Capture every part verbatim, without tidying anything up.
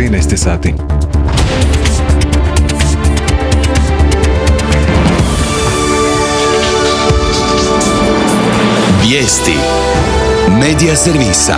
trinaest sati. Vijesti Medija servisa.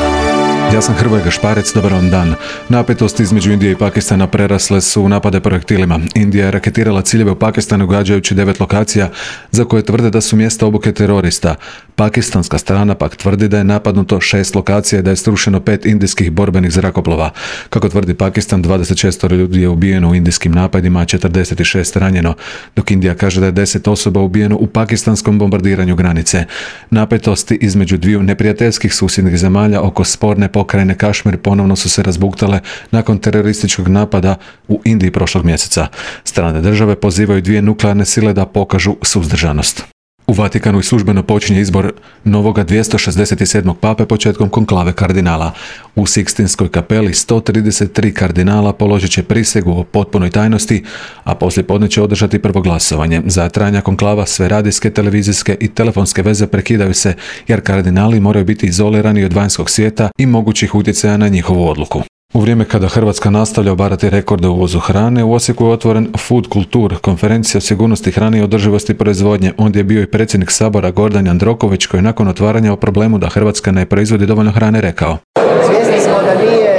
Ja sam Hrvoje Gašparec, dobar vam dan. Napetosti između Indije i Pakistana prerasle su u napade projektilima. Indija je raketirala ciljeve u Pakistanu gađajući devet lokacija za koje tvrde da su mjesta obuke terorista. Pakistanska strana pak tvrdi da je napadnuto šest lokacija i da je srušeno pet indijskih borbenih zrakoplova. Kako tvrdi Pakistan, dvadeset šest ljudi je ubijeno u indijskim napadima, a četrdeset šest ranjeno, dok Indija kaže da je deset osoba ubijeno u pakistanskom bombardiranju granice. Napetosti između dviju neprijateljskih susjednih zemalja oko sporne pokrajine Kašmir ponovno su se razbuktale nakon terorističkog napada u Indiji prošlog mjeseca. Strane države pozivaju dvije nuklearne sile da pokažu suzdržanost. U Vatikanu i službeno počinje izbor novoga dvjesto šezdeset sedmog pape početkom konklave kardinala. U Sikstinskoj kapeli sto trideset tri kardinala položit će prisegu o potpunoj tajnosti, a poslijepodne će održati prvo glasovanje. Za trajanja konklava sve radijske, televizijske i telefonske veze prekidaju se, jer kardinali moraju biti izolirani od vanjskog svijeta i mogućih utjecaja na njihovu odluku. U vrijeme kada Hrvatska nastavlja obarati rekorde u uvozu hrane, u Osijeku je otvoren Food Kultur, konferencija o sigurnosti hrane i održivosti proizvodnje. Ondje je bio i predsjednik Sabora Gordan Jandroković, koji je nakon otvaranja o problemu da Hrvatska ne proizvodi dovoljno hrane rekao: Svjesni smo da nije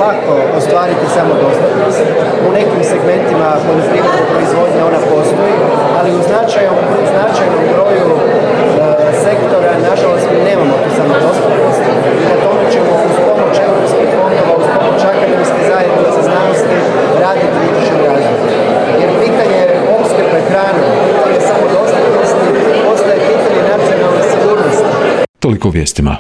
lako ostvariti samodostatnost. U nekim segmentima poljoprivredne proizvodnje ona postoji, ali u značajnom, značajnom broju e, sektora, nažalost, mi nemamo tu samodostatnost. I na tome ćemo uz pomoć europskih fondova, uz pomoć akademske zajednice znanosti raditi u idućem razdoblju. Jer pitanje opskrbe hranom, pitanje samodostatnosti, postaje pitanje nacionalne sigurnosti. Toliko u vijestima.